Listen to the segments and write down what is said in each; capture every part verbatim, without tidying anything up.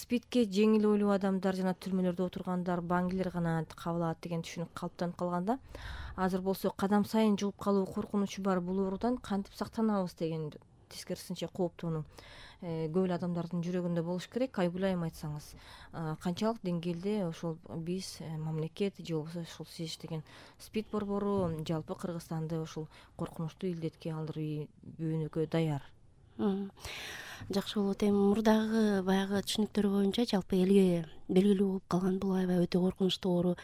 спидке жеңил ойлуу адамдар жана түрмөлөрдө отургандар, баңгилер гана кабыл алат деген түшүнүк калыптанып калганда, азыр болсо кадам сайын жугуп калуу коркунучу бар бул оорудан кантип сактанабыз деген тескерисинче кооптонуу көп эле адамдардын жүрөгүндө болуш керек. Айгүл айым, айтсаңыз, канчалык деңгээлде ошол биз, мамлекет же болбосо ушул сиз иштеген СПИД борбору жалпы Кыргызстанды ушул коркунучтуу илдетке алдырбөөнүккө даяр? Жакшы болот. Эми мурдагы баягы түшүнүктөр боюнча жалпы элге белгилүү болуп калган бул аябай өтө коркунучтуу оору.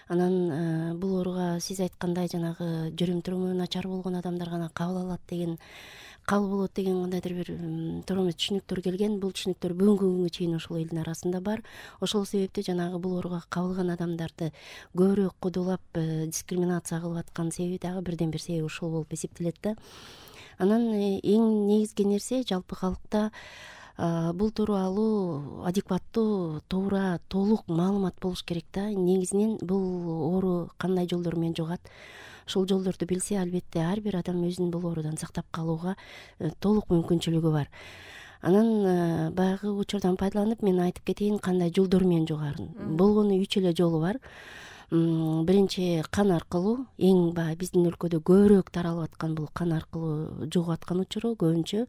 Анан бул ооруга сиз айткандай жанагы жүрүм туруму начар болгон адамдар гана кабыл алат деген, кабыл болот деген кандайдыр бир туура эмес түшүнүктөр келген. Бул түшүнүктөр бүгүнкү күнгө чейин ошол элдин арасында бар. Ошол себептен жанагы бул ооруга кабылган адамдарды көбүрөөк кодулап дискриминация кылып аткан себеби дагы бирден бир себеби ушул болуп эсептелет да. Анан эң негизги нерсе жалпы калкта бул тууралуу адекваттуу, туура, толук маалымат болуш керек да. Негизинен бул оору кандай жолдор менен жугат, ушул жолдорду билсе, албетте ар бир адам өзүн бул оорудан сактап калууга толук мүмкүнчүлүгү бар. Анан баягы учурдан пайдаланып мен айтып кетейин кандай жолдор менен жугарын. Болгону үч эле жолу бар. Биринчи кан аркылуу, эң баягы биздин өлкөдө көбүрөөк таралып аткан бул кан аркылуу жугуп аткан учуру. Көбүнчө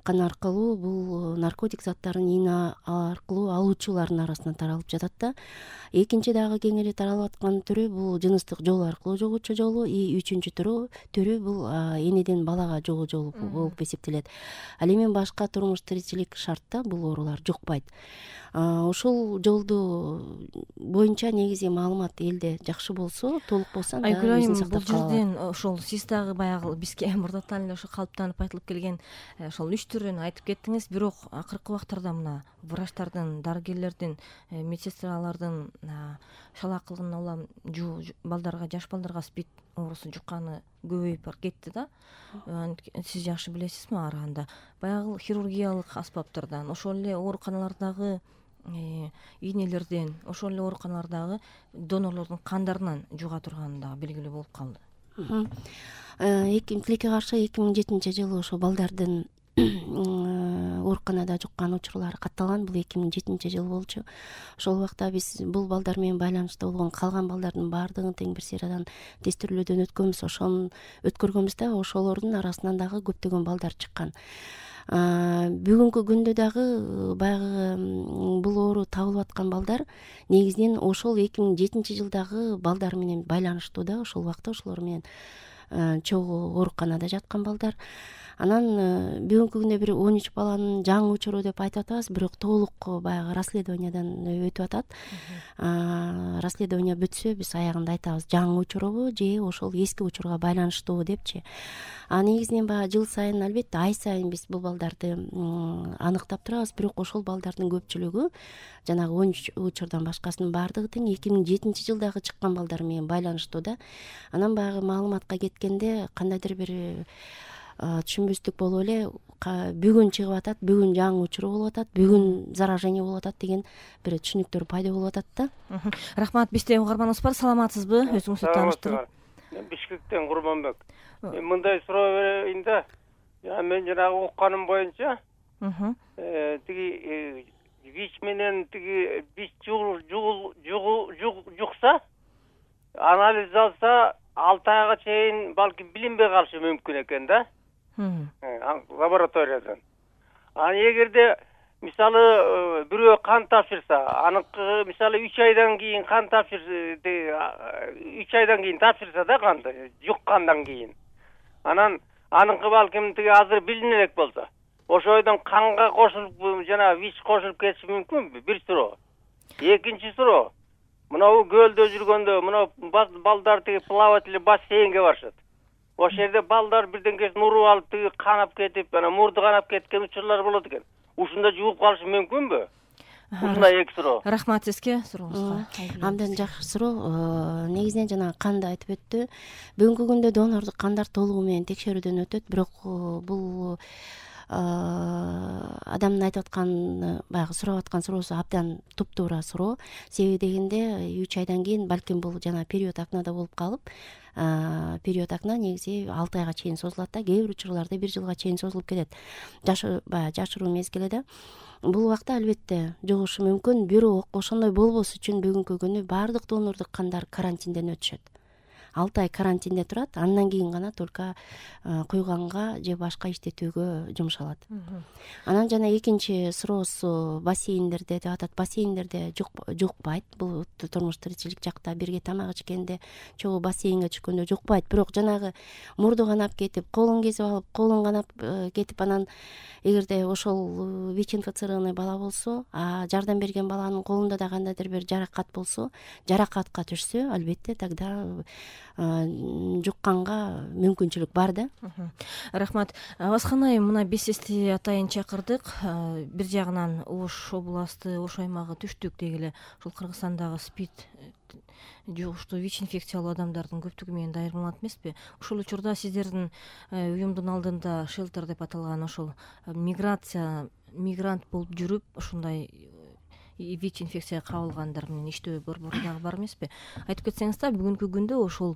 кан аркылуу бул наркотик заттарын ийне аркылуу алуучулардын арасынан таралып жатат да. Экинчи дагы кең эле таралып аткан түрү бул жыныстык жол аркылуу жугуучу жолу. И үчүнчү түрү түрү бул энеден балага жугуу жолу болуп эсептелет. Ал эми башка турмуш тиричилик шартта бул оорулар жукпайт. Ушул жолду боюнча негизи маалымат элде жакшы болсо, толук болсо, анда өзүн сактап кала алат. Бул жерден ошол сиз дагы баягы бизге мурдатан эле ошо калыптанып айтылып келген ошол үч түрүн айтып кеттиңиз. Бирок акыркы убактарда мына врачтардын, дарыгерлердин, медсестралардын шалаакылыгына улам балдарга, жаш балдарга СПИД оорусу жукканы көбөйүп кетти да. Сиз жакшы билесизби арганда? Баягы хирургиялык аспаптардан, ошол эле ооруканалардагы ийнелерден, ошол эле ооруканалардагы донорлордун кандарынан жуга турганы дагы белгилүү болуп калды. Тилекке каршы эки миң жетинчи жылы ошо балдардын ооруканада жуккан учурлары катталган. Бул эки миң жетинчи жыл болчу. Ошол убакта биз бул балдар менен байланыштуу болгон калган балдардын баардыгын тең бир сериядан тестирлөөдөн өткөнбүз. Ошону өткөргөнбүз да, ошолордун арасынан дагы көптөгөн балдар чыккан. Бүгүнкү күндө дагы баягы бул оору табылып аткан балдар негизинен ошол эки миң жетинчи жылдагы балдар менен байланыштуу да. Ошол убакта ошолор менен чогуу ооруканада жаткан балдар. Анан бүгүнкү күндө бир он үч баланын жаңы учуру деп айтып атабыз, бирок толук баягы расследованиядан өтүп атат. Расследование бүтсө биз аягында айтабыз, жаңы учурубу же ошол эски учурга байланыштуубу депчи. А негизинен баягы жыл сайын, албетте ай сайын биз бул балдарды аныктап турабыз, бирок ошол балдардын көпчүлүгү жанагы он үч учурдан башкасынын баардыгы тең эки миң жетинчи жылдагы чыккан балдар менен байланыштуу да. Анан баягы маалыматка кеткенде кандайдыр бир түшүнбөстүк болуп эле бүгүн чыгып атат, бүгүн жаңы учуру болуп атат, бүгүн заражение болуп атат деген бир түшүнүктөр пайда болуп атат да. Рахмат. Бизде угарманыбыз бар. Саламатсызбы? Өзүңүздү тааныштырып. Бишкектен Курманбек. Мындай суроо берейин да. Мен жанагы укканым боюнча, тиги ВИЧ менен тиги ВИЧ жукса, анализ алса, алты айга чейин балким билинбей калышы мүмкүн экен да. Лабораториядан. Анан эгерде мисалы бирөө кан тапшырса, аныкы мисалы үч айдан кийин кан тапшырса, үч айдан кийин тапшырса да канды, жуккандан кийин. Анан аныкы балким тиги азыр билине элек болсо, ошойдон канга кошулуп жана ВИЧ кошулуп кетиши мүмкүнбү? Бир суроо. Экинчи суроо. Мынау көлдө жүргөндө, мынау балдар тиги плаватель бассейнге барышат. Ошол жерде балдар бирдеңкесин уруп алып тиги канап кетип, анан мурду канап кеткен учурлар болот экен. Ушунда жууп калышы мүмкүнбү? Ушундай эки суроо. Рахмат сизге сурооңузга. Абдан жакшы суроо. Негизинен жана канды айтып өттү. Бүгүнкү күндө донордук кандар толугу менен текшерүүдөн өтөт, бирок бул адамдын айтып аткан баягы сурап аткан суроосу абдан туптуура суроо. Себеби дегенде үч айдан кийин балким бул жана период акнада болуп калып, период акна негизи алты айга чейин созулат да, кээ бир учурларда бир жылга чейин созулуп кетет. Баягы жашыруу мезгили да. Бул убакта албетте жугушу мүмкүн. Бирок ошондой болбош үчүн бүгүнкү күнү баардык донордук кандар карантинден өтүшөт. алты ай карантинде турат, андан кийин гана только куйганга же башка иштетүүгө жумшалат. Анан жана экинчи суроосу бассейндерде деп атат. Бассейндерде жукпайт. Бул турмуш тиричилик жакта бирге тамак ичкенде, чогуу бассейнге түшкөндө жукпайт. Бирок жанагы мурду канап кетип, колун кесип алып, колун канап кетип, анан эгерде ошол ВИЧ-инфицированный бала болсо, а жардам берген баланын колунда да кандайдыр бир жаракат болсо, жаракатка түшсө, албетте тогда жукканга мүмкүнчүлүк бар да. Рахмат. Абазхан айым, мына бесести атайын чакырдык. Бир жагынан Ош областы, Ош аймагы түштүк дегиле ушул Кыргызстандагы СПИД жугуштуу ВИЧ инфекциялуу адамдардын көптүгү менен дайырмаланат эмеспи? Ушул учурда сиздердин уюмдун алдында шелтер деп аталган ошол миграция мигрант болуп жүрүп ушундай ВИЧ инфекцияга кабылгандар менен иштөө борбору дагы бар эмеспи? Айтып кетсеңиз да, бүгүнкү күндө ошол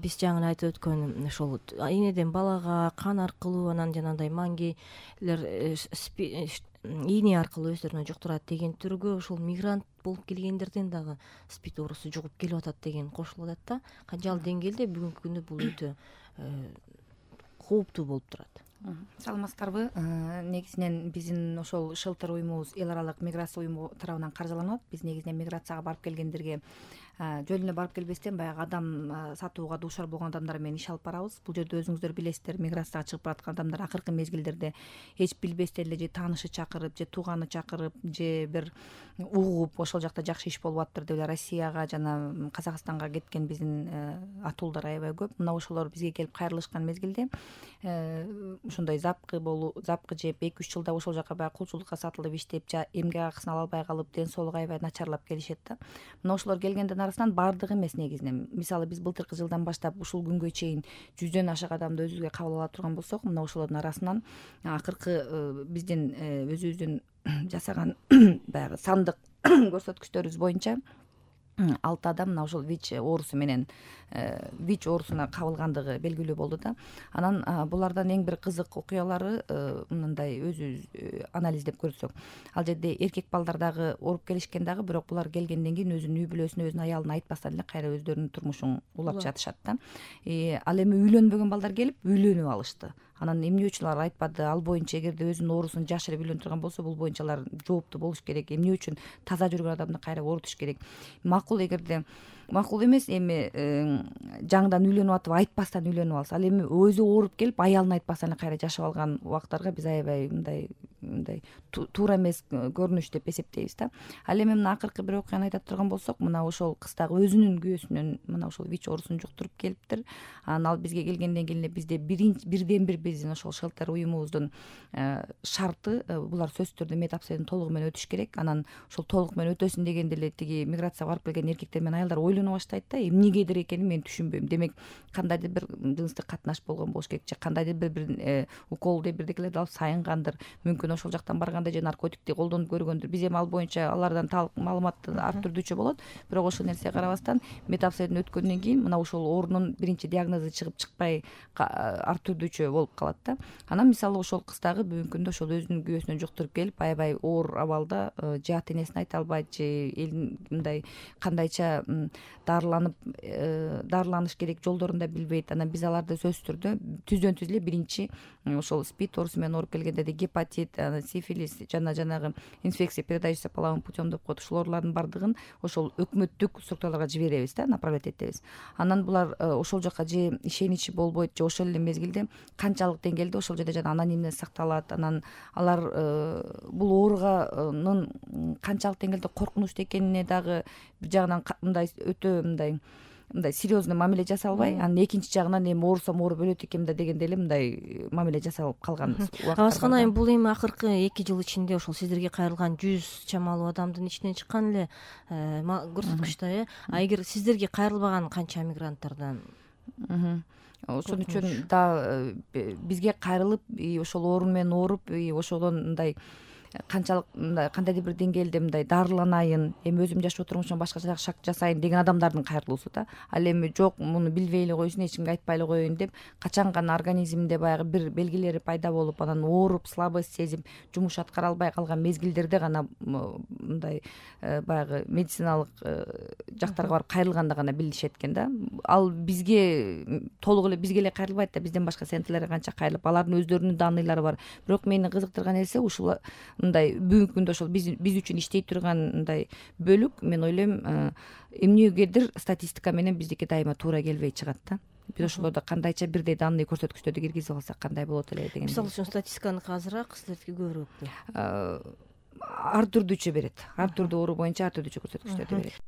биз жаңы айтып өткөн ошол энеден балага кан аркылуу, анан жанагындай маңгейлер ийне аркылуу өздөрүнө жуктурат деген түргө ошол мигрант болуп келгендерден дагы СПИД оорусу жугуп келип атат деген кошулуп атат да. Канчалык деңгээлде бүгүнкү күндө бул өтө кооптуу болуп турат? Саламатсыздарбы? Негизинен биздин ошол шелтер уюмубуз эл аралык миграция уюму тарабынан каржыланат. Биз негизинен миграцияга барып келгендерге жөн эле барып келбестен баягы адам сатууга дуушар болгон адамдар менен иш алып барабыз. Бул жерде өзүңүздөр билесиздер, миграцияга чыгып бараткан адамдар акыркы мезгилдерде эч билбестен эле же таанышы чакырып, же тууганы чакырып, же бир угуп ошол жакта жакшы иш болуп атыптыр деп эле Россияга жана Казакстанга кеткен биздин атуулдар аябай көп. Мына ошолор бизге келип кайрылышкан мезгилде ошондой запкы болуп, запкы жеп, эки үч жылда ошол жака баягы кулчулукка сатылып иштеп, эмгек акысын ала албай калып, ден соолугу аябай начарлап келишет да. Мына ошолор келгендердин арасынан баардыгы эмес негизинен. Мисалы биз былтыркы жылдан баштап ушул күнгө чейин жүздөн ашык адамды өзүбүзгө кабыл ала турган болсок, мына ошолордун арасынан акыркы биздин өзүбүздүн жасаган баягы сандык көрсөткүчтөрүбүз боюнча алты адам мына ошол ВИЧ оорусу менен ВИЧ оорусуна кабылгандыгы белгилүү болду да. Анан булардан эң бир кызык окуялары мындай өзүбүз анализдеп көрсөк, ал жерде эркек балдар дагы ооруп келишкен дагы, бирок булар келгенден кийин өзүнүн үй бүлөсүнө, өзүнүн аялына айтпастан эле кайра өздөрүнүн турмушун улап жатышат да. Ал эми үйлөнбөгөн балдар келип үйлөнүп алышты. Анан эмне үчүн алар айтпады? Ал боюнча эгерде өзүнүн оорусун жашырып үйлөнүп турган болсо, бул боюнча алар жооптуу болуш керек. Эмне үчүн таза жүргөн адамды кайра оорутуш керек? Макул эгерде макул эмес, эми жаңыдан үйлөнүп атып айтпастан үйлөнүп алса, ал эми өзү ооруп келип аялына айтпастан эле кайра жашап алган убактарга биз аябай мындай мындай туура эмес көрүнүш деп эсептейбиз да. Ал эми мына акыркы бир окуяны айта турган болсок, мына ошол кыз дагы өзүнүн күйөөсүнөн мына ошол ВИЧ оорусун жуктуруп келиптир. Анан ал бизге келгенден кийин эле бизде бирден бир биздин ошол шелтер уюмубуздун шарты, булар сөзсүз түрдө медобследование толугу менен өтүш керек. Анан ошол толук менен өтөсүн дегенде эле тиги миграцияга барып келген эркектер менен аялдар ойлоно баштайт да, эмнегедир экенин мен түшүнбөйм. Демек кандайдыр бир жыныстык катнаш болгон болуш керек, же кандайдыр бир бир укол деп бирдекелерди алып сайынгандыр, мүмкүн ошол жактан барганда же наркотикти колдонуп көргөндүр. Биз эми ал боюнча алардан талык маалымат ар түрдүүчө болот, бирок ошол нерсеге карабастан медобследование өткөндөн кийин мына ошол оорунун биринчи диагнозу чыгып чыкпай ар түрдүүчө болуп калат да. Анан мисалы ошол кыз дагы бүгүнкү күндө ошол өзүнүн күйөөсүнөн жуктуруп келип, аябай оор абалда, же ата энесине айта албайт, же элдин мындай кандайча дарыланып дарыланыш керек жолдорун да билбейт. Анан биз аларды сөзсүз түрдө түздөн түз эле биринчи ошол СПИД оорусу менен ооруп келгендерде гепатит, сифилис жана жанагы инфекция, передающаяся половым путем деп коет, ушул оорулардын баардыгын ошол өкмөттүк структураларга жиберебиз да, направлять этебиз. Анан булар ошол жака же ишеничи болбойт, же ошол эле мезгилде канчалык деңгээлде ошол жерде жана анонимность сакталат. Анан алар бул ооруганын канчалык деңгээлде коркунучтуу экенине дагы бир жагынан мындай өтө мындай мындай серьезный мамиле жасалбай, анан экинчи жагынан эми оорусам ооруп өлөт экенмин да дегенде эле мындай мамиле жасалып калган убакыттар. Абазхан айым, бул эми акыркы эки жыл ичинде ошол сиздерге кайрылган жүз чамалуу адамдын ичинен чыккан эле көрсөткүч да, э? А эгер сиздерге кайрылбаган канча мигранттардан? ошон үчүн да бизге кайрылып ошол оорун менен ооруп ошодон мындай канчалык мындай кандайдыр бир деңгээлде мындай дарыланайын, эми өзүм жашап отурган ошон башкача шак жасайын деген адамдардын кайрылуусу да. Ал эми жок муну билбей эле койсун, эч кимге айтпай эле коеюн деп качан гана организмде баягы бир белгилери пайда болуп, анан ооруп, слабость сезип, жумуш аткара албай калган мезгилдерде гана мындай баягы медициналык жактарга барып кайрылганда гана билишет экен да. Ал бизге толук эле бизге эле кайрылбайт да, бизден башка сентлерге канча кайрылып, алардын өздөрүнүн данныйлары бар. Бирок мени кызыктырган нерсе ушул мындай бүгүнкү күндө ошол биз биз үчүн иштей турган мындай бөлүк, мен ойлойм эмнегедир статистика менен биздики дайыма туура келбей чыгат да. Биз ошолордо кандайча бирдей данный көрсөткүчтөрдү киргизип алсак кандай болот эле деген. Мисалы үчүн статистиканыкы азыраак, силердики көбүрөөкпү? Ар түрдүүчө берет, ар түрдүү оору боюнча ар түрдүүчө көрсөткүчтөрдү берет.